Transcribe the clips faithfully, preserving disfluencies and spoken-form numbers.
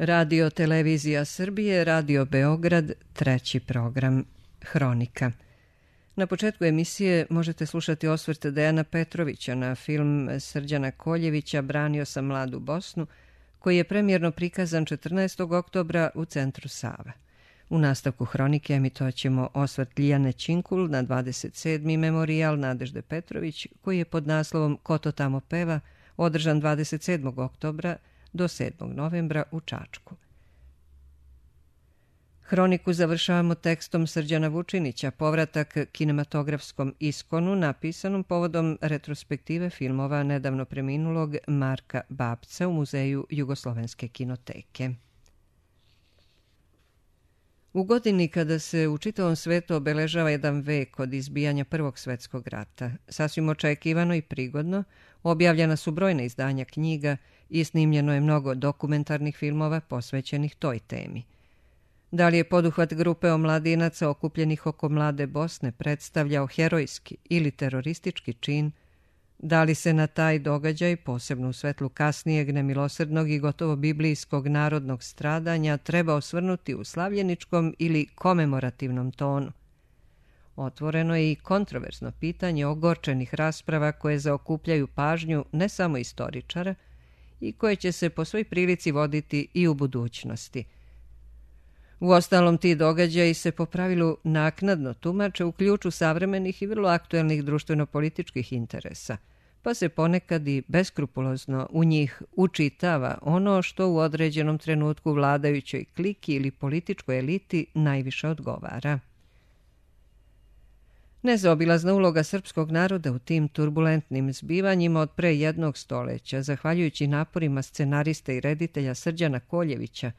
Radio Televizija Srbije, Radio Beograd, treći program, Hronika. Na početku emisije možete slušati osvrt Dejana Petrovića na film Srđana Koljevića Branio sam mladu Bosnu, koji je premijerno prikazan četrnaestog oktobra u centru Sava. U nastavku Hronike emitovat ćemo osvrt Lijane Činkul na dvadeset sedmi memorijal Nadežde Petrović, koji je pod naslovom Ko to tamo peva, održan dvadeset sedmog oktobra do sedmog novembra u Čačku. Hroniku završavamo tekstom Srđana Vučinića, povratak kinematografskom iskonu napisanom povodom retrospektive filmova nedavno preminulog Marka Babca u Muzeju Jugoslovenske kinoteke. U godini kada se u čitavom svetu obeležava jedan vek od izbijanja Prvog svetskog rata, sasvim očekivano i prigodno, objavljena su brojna izdanja knjiga i snimljeno je mnogo dokumentarnih filmova posvećenih toj temi. Da li je poduhvat grupe omladinaca okupljenih oko mlade Bosne predstavljao herojski ili teroristički čin, da li se na taj događaj, posebno u svetlu kasnijeg nemilosrdnog i gotovo biblijskog narodnog stradanja, treba osvrnuti u slavljeničkom ili komemorativnom tonu? Otvoreno je i kontroverzno pitanje ogorčenih rasprava koje zaokupljaju pažnju ne samo istoričara i koje će se po svoj prilici voditi i u budućnosti. Uostalom, ti događaji se po pravilu naknadno tumače u ključu savremenih i vrlo aktuelnih društveno-političkih interesa, pa se ponekad i beskrupulozno u njih učitava ono što u određenom trenutku vladajućoj kliki ili političkoj eliti najviše odgovara. Nezaobilazna uloga srpskog naroda u tim turbulentnim zbivanjima od pre jednog stoleća, zahvaljujući naporima scenarista i reditelja Srđana Koljevića,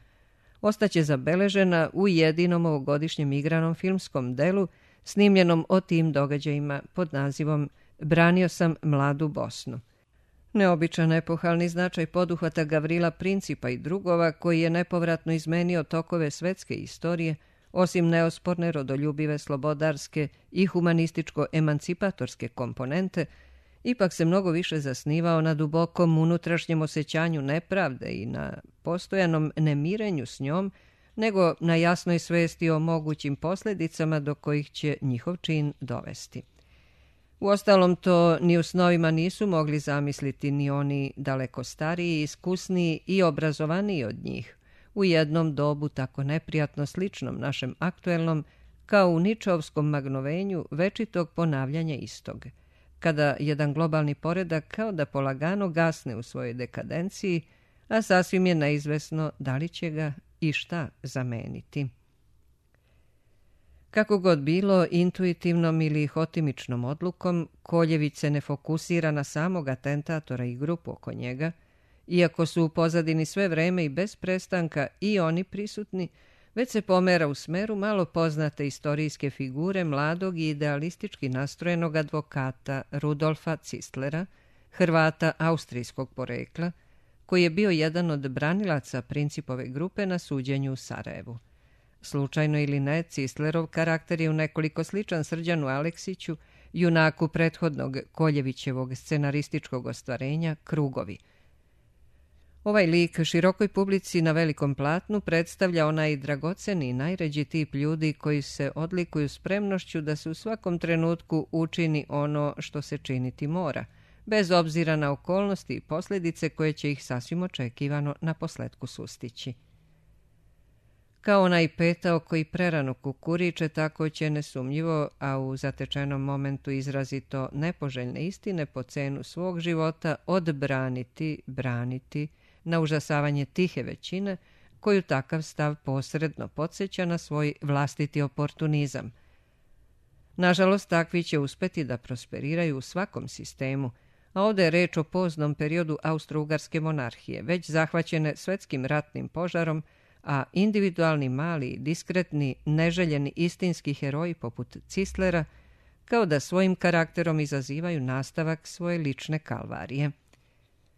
ostaće zabeležena u jedinom ovogodišnjem igranom filmskom delu snimljenom o tim događajima pod nazivom Branio sam mladu Bosnu. Neobičan epohalni značaj poduhvata Gavrila Principa i drugova, koji je nepovratno izmenio tokove svetske istorije, osim neosporne rodoljubive, slobodarske i humanističko-emancipatorske komponente, ipak se mnogo više zasnivao na dubokom unutrašnjem osjećanju nepravde i na postojanom nemirenju s njom, nego na jasnoj svesti o mogućim posljedicama do kojih će njihov čin dovesti. Uostalom, to ni u snovima nisu mogli zamisliti ni oni daleko stariji, iskusniji i obrazovaniji od njih, u jednom dobu tako neprijatno sličnom našem aktuelnom, kao u Ničovskom magnovenju večitog ponavljanja istog, kada jedan globalni poredak kao da polagano gasne u svojoj dekadenciji, a sasvim je neizvesno da li će ga i šta zameniti. Kako god bilo, intuitivnom ili hotimičnom odlukom, Koljević se ne fokusira na samog atentatora i grupu oko njega, iako su u pozadini sve vreme i bez prestanka i oni prisutni, već se pomera u smeru malo poznate istorijske figure mladog i idealistički nastrojenog advokata Rudolfa Cistlera, Hrvata austrijskog porekla, koji je bio jedan od branilaca Principove grupe na suđenju u Sarajevu. Slučajno ili ne, Cistlerov karakter je u nekoliko sličan Srđanu Aleksiću, junaku prethodnog Koljevićevog scenarističkog ostvarenja Krugovi. Ovaj lik širokoj publici na velikom platnu predstavlja onaj dragoceni i najređi tip ljudi koji se odlikuju spremnošću da se u svakom trenutku učini ono što se činiti mora, bez obzira na okolnosti i posljedice koje će ih sasvim očekivano na posletku sustići. Kao onaj petao koji prerano kukuriče, tako će nesumnjivo, a u zatečenom momentu izrazito nepoželjne istine po cenu svog života, odbraniti, braniti, na užasavanje tihe većine, koju takav stav posredno podsjeća na svoj vlastiti oportunizam. Nažalost, takvi će uspeti da prosperiraju u svakom sistemu, a ovdje je reč o poznom periodu Austro-Ugarske monarhije, već zahvaćene svetskim ratnim požarom, a individualni, mali, diskretni, neželjeni istinski heroji poput Cistlera, kao da svojim karakterom izazivaju nastavak svoje lične kalvarije.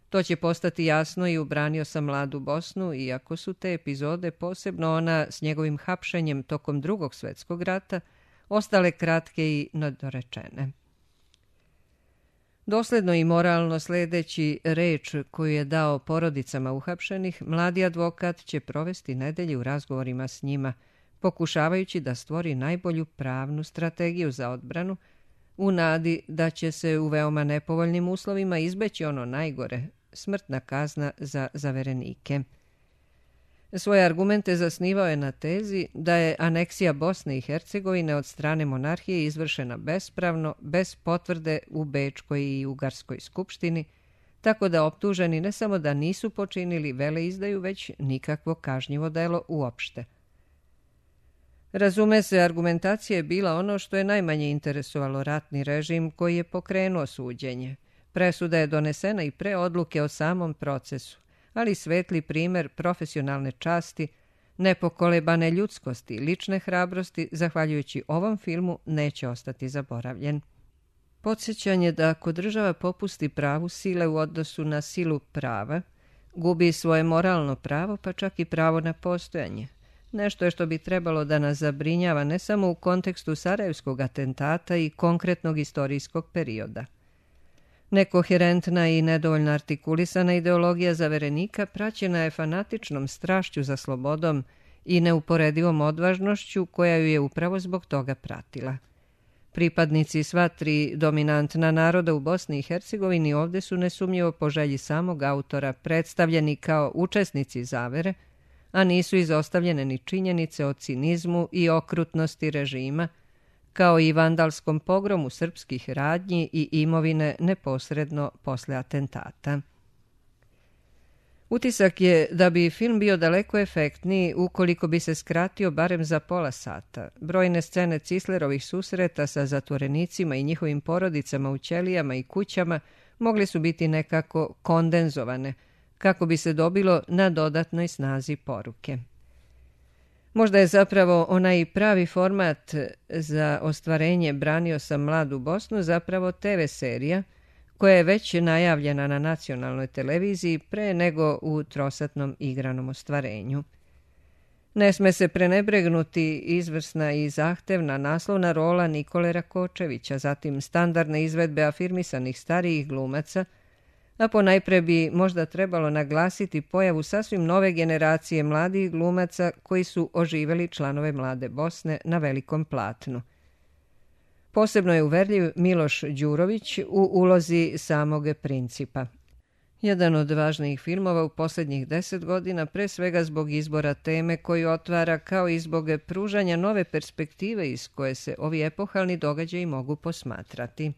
To će postati jasno i u Branio sam mladu Bosnu, iako su te epizode, posebno ona s njegovim hapšenjem tokom Drugog svjetskog rata, ostale kratke i nedorečene. Dosledno i moralno sledeći reč koju je dao porodicama uhapšenih, mladi advokat će provesti nedelje u razgovorima s njima, pokušavajući da stvori najbolju pravnu strategiju za odbranu, u nadi da će se u veoma nepovoljnim uslovima izbeći ono najgore, smrtna kazna za zaverenike. Svoje argumente zasnivao je na tezi da je aneksija Bosne i Hercegovine od strane monarhije izvršena bespravno, bez potvrde u Bečkoj i Ugarskoj skupštini, tako da optuženi ne samo da nisu počinili veleizdaju, već nikakvo kažnjivo delo uopšte. Razume se, argumentacija je bila ono što je najmanje interesovalo ratni režim koji je pokrenuo suđenje. Presuda je donesena i pre odluke o samom procesu, ali svetli primer profesionalne časti, nepokolebane ljudskosti, lične hrabrosti, zahvaljujući ovom filmu, neće ostati zaboravljen. Podsjećanje da ako država popusti pravu sile u odnosu na silu prava, gubi svoje moralno pravo, pa čak i pravo na postojanje. Nešto je što bi trebalo da nas zabrinjava ne samo u kontekstu Sarajevskog atentata i konkretnog istorijskog perioda. Nekoherentna i nedovoljno artikulisana ideologija zaverenika praćena je fanatičnom strašću za slobodom i neuporedivom odvažnošću koja ju je upravo zbog toga pratila. Pripadnici sva tri dominantna naroda u Bosni i Hercegovini ovde su nesumnjivo po želji samog autora predstavljeni kao učesnici zavere, a nisu izostavljene ni činjenice o cinizmu i okrutnosti režima, kao i vandalskom pogromu srpskih radnji i imovine neposredno posle atentata. Utisak je da bi film bio daleko efektniji ukoliko bi se skratio barem za pola sata. Brojne scene Cislerovih susreta sa zatvorenicima i njihovim porodicama u ćelijama i kućama mogli su biti nekako kondenzovane, kako bi se dobilo na dodatnoj snazi poruke. Možda je zapravo onaj pravi format za ostvarenje Branio sam mladu Bosnu zapravo te ve serija, koja je već najavljena na nacionalnoj televiziji pre nego u trosatnom igranom ostvarenju. Ne sme se prenebregnuti izvrsna i zahtevna naslovna rola Nikole Rakočevića, zatim standardne izvedbe afirmisanih starijih glumaca, a ponajpre bi možda trebalo naglasiti pojavu sasvim nove generacije mladih glumaca koji su oživeli članove Mlade Bosne na velikom platnu. Posebno je uverljiv Miloš Đurović u ulozi samog principa. Jedan od važnijih filmova u posljednjih deset godina, pre svega zbog izbora teme koju otvara, kao i zbog pružanja nove perspektive iz koje se ovi epohalni događaji mogu posmatrati.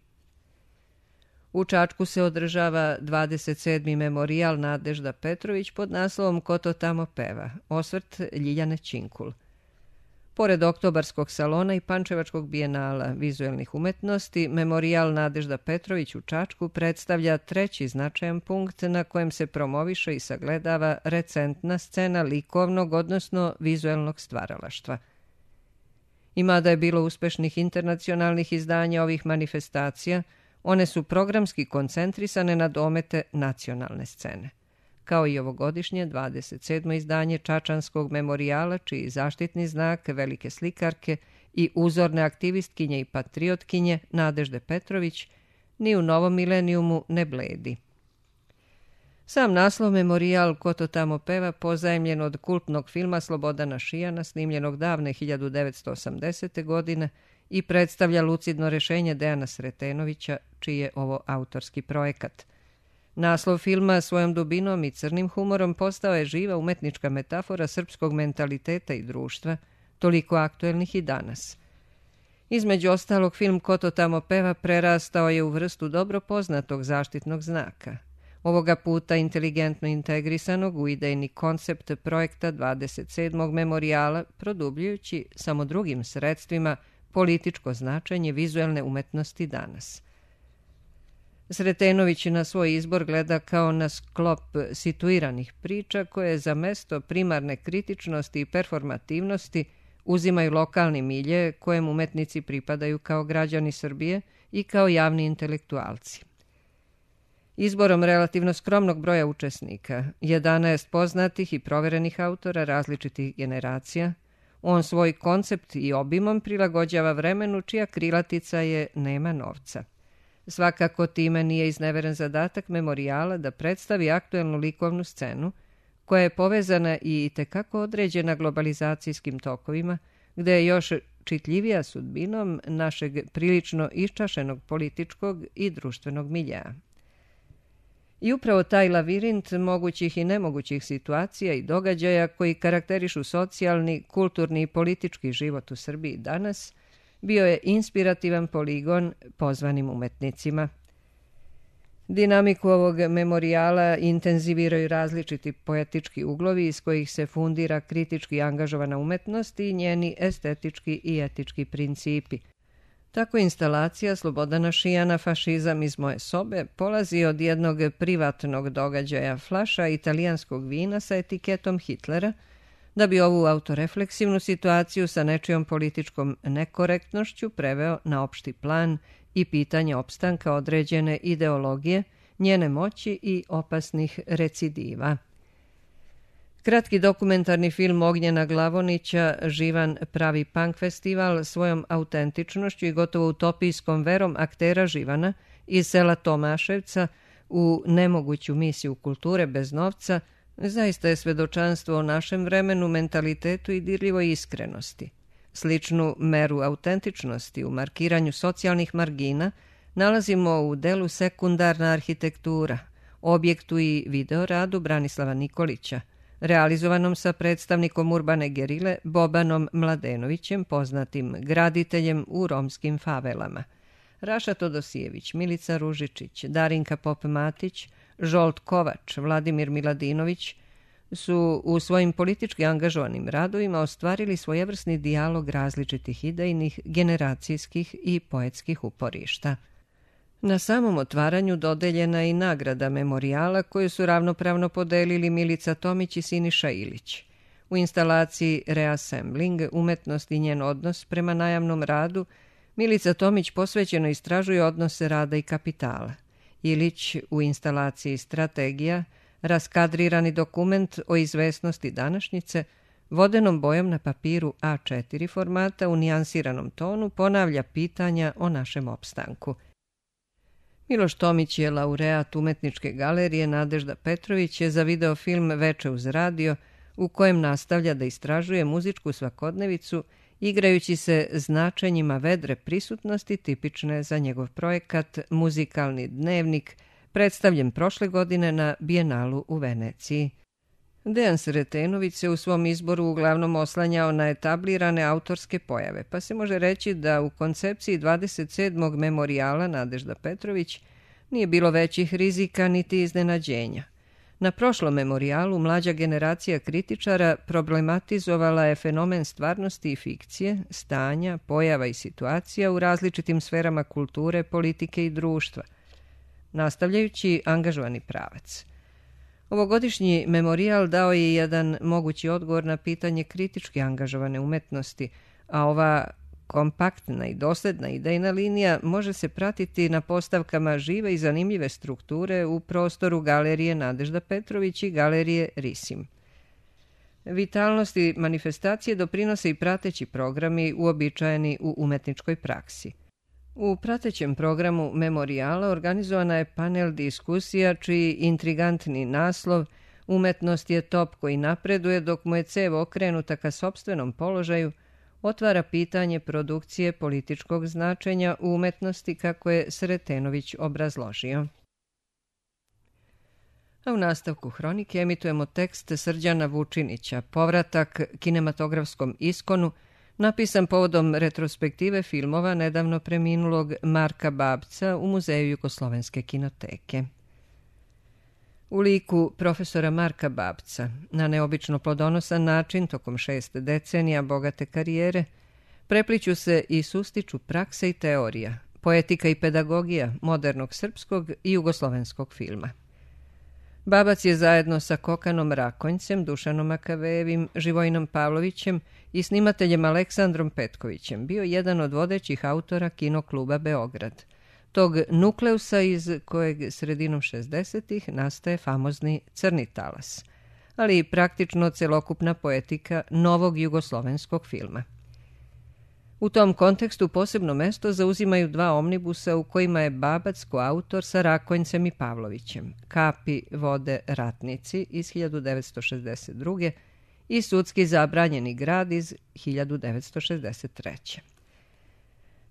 U Čačku se održava dvadeset sedmi memorijal Nadežda Petrović pod naslovom Ko to tamo peva, osvrt Ljiljane Činkul. Pored Oktobarskog salona i Pančevačkog bijenala vizuelnih umetnosti, memorijal Nadežda Petrović u Čačku predstavlja treći značajan punkt na kojem se promoviše i sagledava recentna scena likovnog, odnosno vizuelnog stvaralaštva. I mada je bilo uspešnih internacionalnih izdanja ovih manifestacija, one su programski koncentrisane na domete nacionalne scene. Kao i ovogodišnje dvadeset sedmo izdanje Čačanskog memorijala, čiji zaštitni znak velike slikarke i uzorne aktivistkinje i patriotkinje Nadežde Petrović ni u novom milenijumu ne bledi. Sam naslov memorijal Ko to tamo peva pozajemljen od kultnog filma Slobodana Šijana, snimljenog davne hiljadu devetsto osamdesete. godine, i predstavlja lucidno rešenje Dejana Sretenovića, čiji je ovo autorski projekat. Naslov filma svojom dubinom i crnim humorom postao je živa umetnička metafora srpskog mentaliteta i društva, toliko aktuelnih i danas. Između ostalog, film Ko to tamo peva prerastao je u vrstu dobro poznatog zaštitnog znaka. Ovoga puta inteligentno integrisanog u idejni koncept projekta dvadeset sedmog memorijala, produbljujući samo drugim sredstvima političko značenje vizuelne umetnosti danas. Sretenović na svoj izbor gleda kao na sklop situiranih priča koje za mesto primarne kritičnosti i performativnosti uzimaju lokalni milje kojem umetnici pripadaju kao građani Srbije i kao javni intelektualci. Izborom relativno skromnog broja učesnika, jedanaest poznatih i proverenih autora različitih generacija, on svoj koncept i obimom prilagođava vremenu čija krilatica je nema novca. Svakako time nije izneveren zadatak memorijala da predstavi aktuelnu likovnu scenu, koja je povezana i itekako određena globalizacijskim tokovima, gde je još čitljivija sudbinom našeg prilično iščašenog političkog i društvenog miljea. I upravo taj lavirint mogućih i nemogućih situacija i događaja koji karakterišu socijalni, kulturni i politički život u Srbiji danas bio je inspirativan poligon pozvanim umetnicima. Dinamiku ovog memorijala intenziviraju različiti poetički uglovi iz kojih se fundira kritički angažovana umetnost i njeni estetički i etički principi. Tako instalacija Slobodana Šijana Fašizam iz moje sobe polazi od jednog privatnog događaja, flaša italijanskog vina sa etiketom Hitlera, da bi ovu autorefleksivnu situaciju sa nečijom političkom nekorektnošću preveo na opšti plan i pitanje opstanka određene ideologije, njene moći i opasnih recidiva. Kratki dokumentarni film Ognjena Glavonića Živan pravi punk festival svojom autentičnošću i gotovo utopijskom verom aktera Živana iz sela Tomaševca u nemoguću misiju kulture bez novca zaista je svedočanstvo o našem vremenu, mentalitetu i dirljivoj iskrenosti. Sličnu meru autentičnosti u markiranju socijalnih margina nalazimo u delu Sekundarna arhitektura, objektu i videoradu Branislava Nikolića, realizovanom sa predstavnikom urbane gerile Bobanom Mladenovićem, poznatim graditeljem u romskim favelama. Raša Todosijević, Milica Ružičić, Darinka Pop-Matić, Žolt Kovač, Vladimir Miladinović su u svojim politički angažovanim radovima ostvarili svojevrsni dijalog različitih idejnih, generacijskih i poetskih uporišta. Na samom otvaranju dodeljena je i nagrada memorijala koju su ravnopravno podelili Milica Tomić i Siniša Ilić. U instalaciji Reassembling, umetnost i njen odnos prema najavnom radu, Milica Tomić posvećeno istražuje odnose rada i kapitala. Ilić u instalaciji Strategija, raskadrirani dokument o izvesnosti današnjice, vodenom bojom na papiru A četiri formata u nijansiranom tonu ponavlja pitanja o našem opstanku. Miloš Tomić je laureat Umetničke galerije Nadežda Petrović je za videofilm Veče uz radio, u kojem nastavlja da istražuje muzičku svakodnevicu, igrajući se značenjima vedre prisutnosti tipične za njegov projekat Muzikalni dnevnik, predstavljen prošle godine na Bijenalu u Veneciji. Dejan Sretenović se u svom izboru uglavnom oslanjao na etablirane autorske pojave, pa se može reći da u koncepciji dvadeset sedmog memorijala Nadežda Petrović nije bilo većih rizika niti iznenađenja. Na prošlom memorijalu mlađa generacija kritičara problematizovala je fenomen stvarnosti i fikcije, stanja, pojava i situacija u različitim sferama kulture, politike i društva, nastavljajući angažovani pravac. Ovogodišnji memorijal dao je jedan mogući odgovor na pitanje kritički angažovane umetnosti, a ova kompaktna i dosledna idejna linija može se pratiti na postavkama žive i zanimljive strukture u prostoru Galerije Nadežda Petrović i Galerije Risim. Vitalnosti manifestacije doprinose i prateći programi uobičajeni u umetničkoj praksi. U pratećem programu memorijala organizovana je panel diskusija čiji intrigantni naslov "Umetnost je top koji napreduje dok mu je cev okrenuta ka sopstvenom položaju" otvara pitanje produkcije političkog značenja u umetnosti kako je Sretenović obrazložio. A u nastavku hronike emitujemo tekst Srđana Vučinića, povratak kinematografskom iskonu, napisan povodom retrospektive filmova nedavno preminulog Marka Babca u Muzeju Jugoslovenske kinoteke. U liku profesora Marka Babca, na neobično plodonosan način tokom šest decenija bogate karijere, prepliću se i sustiču praksa i teorija, poetika i pedagogija modernog srpskog i jugoslovenskog filma. Babac je zajedno sa Kokanom Rakonjcem, Dušanom Makavejevim, Živojinom Pavlovićem i snimateljem Aleksandrom Petkovićem bio jedan od vodećih autora Kinokluba Beograd, tog nukleusa iz kojeg sredinom šezdesetih nastaje famozni Crni talas, ali i praktično celokupna poetika novog jugoslovenskog filma. U tom kontekstu posebno mesto zauzimaju dva omnibusa u kojima je Babac koautor sa Rakonjcem i Pavlovićem, Kapi, vode, ratnici iz hiljadu devetsto šezdeset druge. i Sudski zabranjeni grad iz hiljadu devetsto šezdeset treće.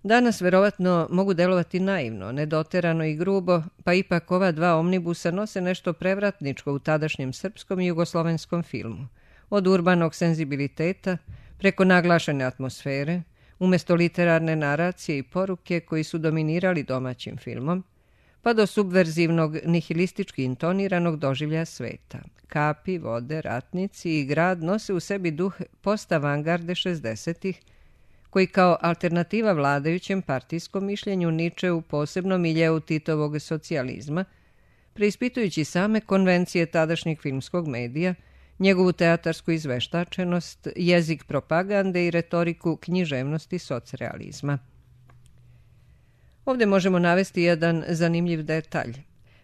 Danas verovatno mogu delovati naivno, nedoterano i grubo, pa ipak ova dva omnibusa nose nešto prevratničko u tadašnjem srpskom i jugoslovenskom filmu. Od urbanog senzibiliteta, preko naglašene atmosfere, umesto literarne naracije i poruke koji su dominirali domaćim filmom, pa do subverzivnog nihilistički intoniranog doživljaja sveta. Kapi, vode, ratnici i grad nose u sebi duh post-avangarde šezdesetih, koji kao alternativa vladajućem partijskom mišljenju niče u posebnom miljeu Titovog socijalizma, preispitujući same konvencije tadašnjeg filmskog medija, njegovu teatarsku izveštačenost, jezik propagande i retoriku književnosti socrealizma. Ovdje možemo navesti jedan zanimljiv detalj.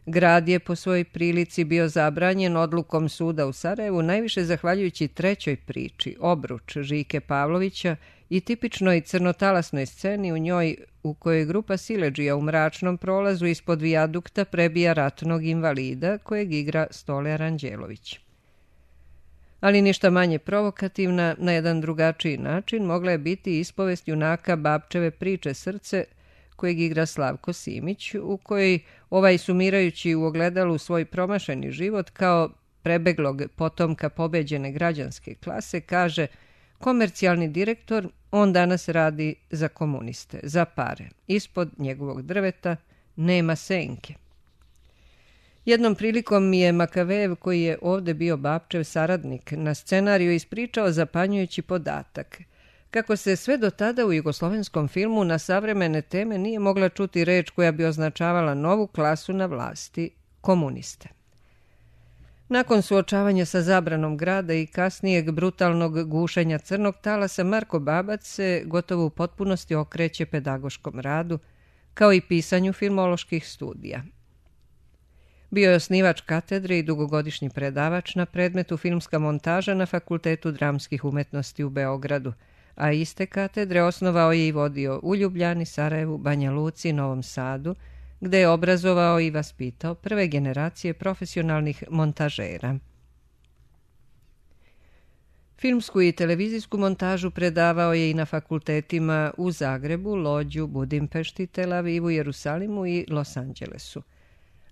Grad je po svojoj prilici bio zabranjen odlukom suda u Sarajevu najviše zahvaljujući trećoj priči, Obruč Žike Pavlovića i tipičnoj crnotalasnoj sceni u njoj u kojoj grupa siledžija u mračnom prolazu ispod vijadukta prebija ratnog invalida kojeg igra Stole Aranđelović. Ali ništa manje provokativna, na jedan drugačiji način mogla je biti ispovest junaka Babčeve priče Srce, kojeg igra Slavko Simić, u kojoj ovaj sumirajući u ogledalu svoj promašeni život kao prebeglog potomka pobeđene građanske klase kaže: komercijalni direktor, on danas radi za komuniste, za pare. Ispod njegovog drveta nema senke. Jednom prilikom mi je Makavejev, koji je ovdje bio Babčev saradnik, na scenariju ispričao zapanjujući podatak kako se sve do tada u jugoslovenskom filmu na savremene teme nije mogla čuti reč koja bi označavala novu klasu na vlasti, komuniste. Nakon suočavanja sa zabranom grada i kasnijeg brutalnog gušenja crnog talasa, Marko Babac se gotovo u potpunosti okreće pedagoškom radu, kao i pisanju filmoloških studija. Bio je osnivač katedre i dugogodišnji predavač na predmetu filmska montaža na Fakultetu dramskih umetnosti u Beogradu, a iste katedre osnovao je i vodio u Ljubljani, Sarajevu, Banja Luci i Novom Sadu, gde je obrazovao i vaspitao prve generacije profesionalnih montažera. Filmsku i televizijsku montažu predavao je i na fakultetima u Zagrebu, Lodžu, Budimpešti, Tel Avivu, Jerusalimu i Los Angelesu.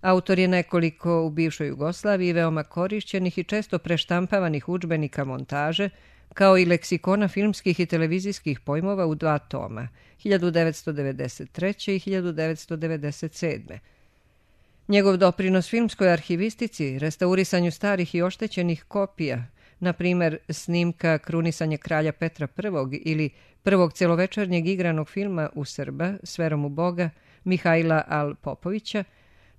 Autor je nekoliko u bivšoj Jugoslaviji veoma korišćenih i često preštampavanih udžbenika montaže, kao i leksikona filmskih i televizijskih pojmova u dva toma, hiljadu devetsto devedeset treće. i hiljadu devetsto devedeset sedme. Njegov doprinos filmskoj arhivistici, restaurisanju starih i oštećenih kopija, na primjer snimka Krunisanje kralja Petra I ili prvog celovečernjeg igranog filma u Srba s verom u Boga Mihajla Al Popovića,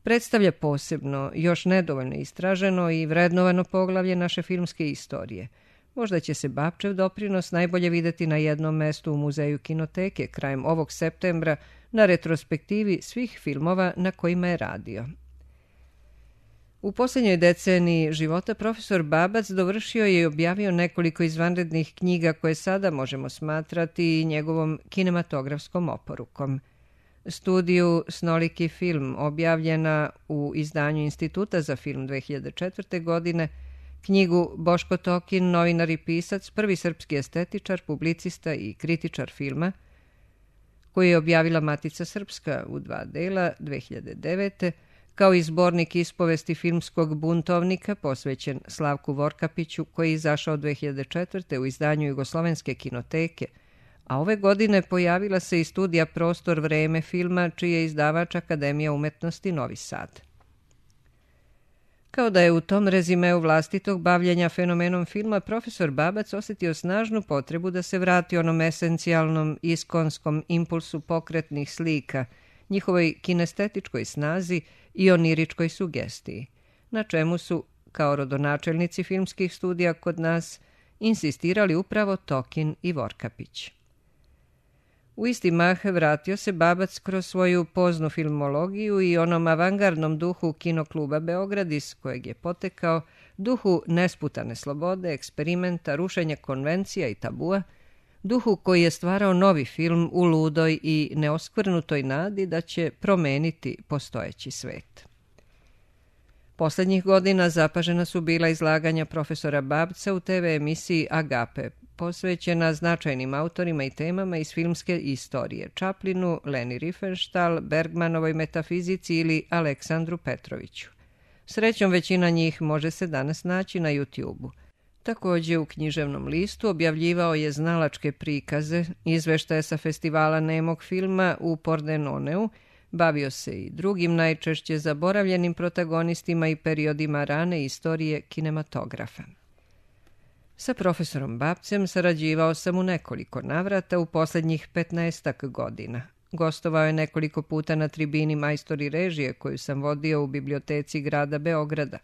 predstavlja posebno, još nedovoljno istraženo i vrednovano poglavlje naše filmske istorije. Možda će se Babčev doprinos najbolje videti na jednom mestu u Muzeju kinoteke krajem ovog septembra na retrospektivi svih filmova na kojima je radio. U posljednjoj deceniji života profesor Babac dovršio je i objavio nekoliko izvanrednih knjiga koje sada možemo smatrati i njegovom kinematografskom oporukom. Studiju Snoliki film, objavljena u izdanju Instituta za film dve hiljade četvrte. godine, knjigu Boško Tokin, novinar i pisac, prvi srpski estetičar, publicista i kritičar filma, koju je objavila Matica Srpska u dva dela dve hiljade devete. kao i zbornik ispovesti filmskog buntovnika posvećen Slavku Vorkapiću, koji je izašao dve hiljade četvrte. u izdanju Jugoslovenske kinoteke, a ove godine pojavila se i studija Prostor vreme filma, čiji je izdavač Akademija umetnosti Novi Sad. Kao da je u tom rezimeu vlastitog bavljenja fenomenom filma, profesor Babac osjetio snažnu potrebu da se vrati onom esencijalnom iskonskom impulsu pokretnih slika, njihovoj kinestetičkoj snazi i oniričkoj sugestiji, na čemu su, kao rodonačelnici filmskih studija kod nas, insistirali upravo Tokin i Vorkapić. U isti mah vratio se Babac kroz svoju poznu filmologiju i onom avangardnom duhu Kinokluba Beograd, iz kojeg je potekao, duhu nesputane slobode, eksperimenta, rušenja konvencija i tabua, duhu koji je stvarao novi film u ludoj i neoskvrnutoj nadi da će promeniti postojeći svet. Poslednjih godina zapažena su bila izlaganja profesora Babca u te ve emisiji Agape, posvećena značajnim autorima i temama iz filmske istorije, Chaplinu, Leni Riefenstahl, Bergmanovoj metafizici ili Aleksandru Petroviću. Srećom, većina njih može se danas naći na YouTube-u. Također u književnom listu objavljivao je znalačke prikaze, izveštaje sa festivala nemog filma u Pordenoneu, bavio se i drugim najčešće zaboravljenim protagonistima i periodima rane istorije kinematografa. Sa profesorom Babcem sarađivao sam u nekoliko navrata u posljednjih petnaestak godina. Gostovao je nekoliko puta na tribini majstori režije koju sam vodio u biblioteci grada Beograda.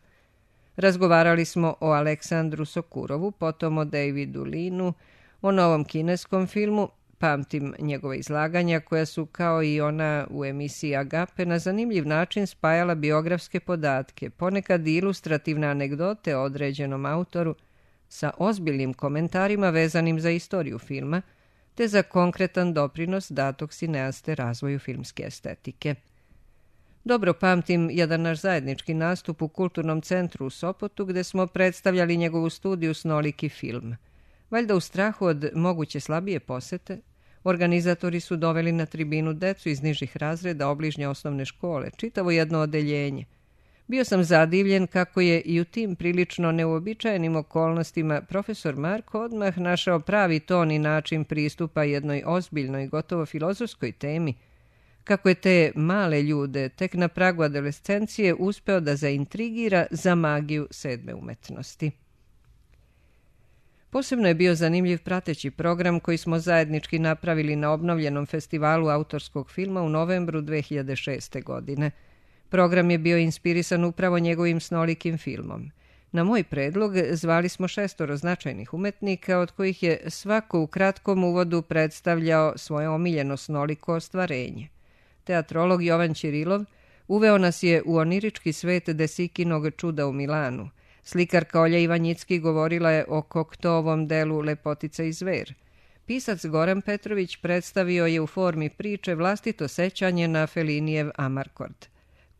Razgovarali smo o Aleksandru Sokurovu, potom o Davidu Linu, o novom kineskom filmu. Pamtim njegove izlaganja koja su, kao i ona u emisiji Agape, na zanimljiv način spajala biografske podatke, ponekad i ilustrativne anegdote o određenom autoru, sa ozbiljnim komentarima vezanim za istoriju filma, te za konkretan doprinos datog sineaste razvoju filmske estetike. Dobro pamtim jedan naš zajednički nastup u Kulturnom centru u Sopotu, gde smo predstavljali njegovu studiju Snoliki film. Valjda u strahu od moguće slabije posete, organizatori su doveli na tribinu decu iz nižih razreda obližnje osnovne škole, čitavo jedno odeljenje. Bio sam zadivljen kako je i u tim prilično neuobičajenim okolnostima profesor Marko odmah našao pravi ton i način pristupa jednoj ozbiljnoj, gotovo filozofskoj temi, kako je te male ljude tek na pragu adolescencije uspeo da zaintrigira za magiju sedme umetnosti. Posebno je bio zanimljiv prateći program koji smo zajednički napravili na obnovljenom festivalu autorskog filma u novembru dve hiljade šeste. godine. Program je bio inspirisan upravo njegovim Snolikim filmom. Na moj predlog zvali smo šestoro značajnih umetnika, od kojih je svako u kratkom uvodu predstavljao svoje omiljeno snoliko ostvarenje. Teatrolog Jovan Ćirilov uveo nas je u onirički svet Desikinog čuda u Milanu. Slikarka Olja Ivanjicki govorila je o Koktovom delu Lepotica i zver. Pisac Goran Petrović predstavio je u formi priče vlastito sećanje na Felinijev Amarkord.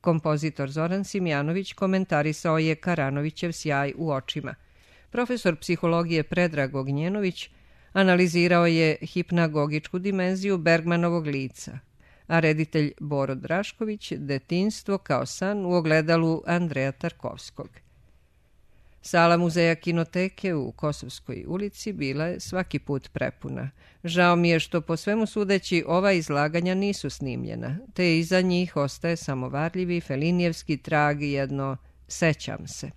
Kompozitor Zoran Simjanović komentarisao je Karanovićev sjaj u očima. Profesor psihologije Predrag Ognjenović analizirao je hipnagogičku dimenziju Bergmanovog lica, a reditelj Boro Drašković detinjstvo kao san u ogledalu Andreja Tarkovskog. Sala muzeja Kinoteke u Kosovskoj ulici bila je svaki put prepuna. Žao mi je što po svemu sudeći ova izlaganja nisu snimljena, te iza njih ostaje samo varljivi felinijevski trag i jedno sećam se.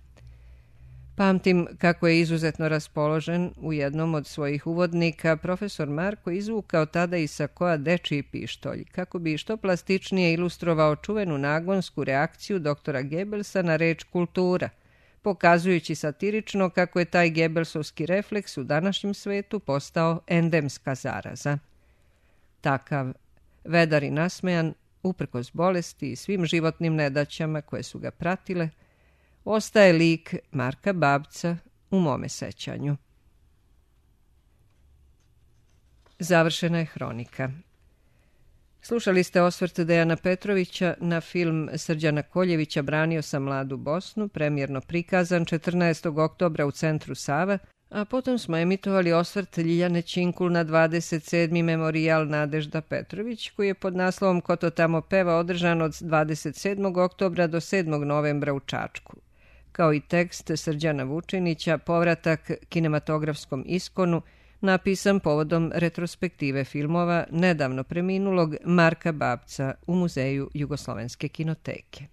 Pamtim kako je izuzetno raspoložen u jednom od svojih uvodnika profesor Marko izvukao tada iz sakoa dečiji pištolj, kako bi što plastičnije ilustrovao čuvenu nagonsku reakciju doktora Gebelsa na reč kultura, pokazujući satirično kako je taj Gebelsovski refleks u današnjem svetu postao endemska zaraza. Takav, vedar i nasmejan, uprkos bolesti i svim životnim nedaćama koje su ga pratile, ostaje lik Marka Babca u mome sećanju. Završena je hronika. Slušali ste osvrt Dejana Petrovića na film Srđana Koljevića Branio sam mladu Bosnu, premijerno prikazan četrnaestog oktobra u centru Sava, a potom smo emitovali osvrt Ljiljane Činkul na dvadeset sedmi memorijal Nadežda Petrović, koji je pod naslovom Ko to tamo peva održan od dvadeset sedmog oktobra do sedmog novembra u Čačku, kao i tekst Srđana Vučinića Povratak kinematografskom iskonu, napisan povodom retrospektive filmova nedavno preminulog Marka Babca u Muzeju Jugoslovenske kinoteke.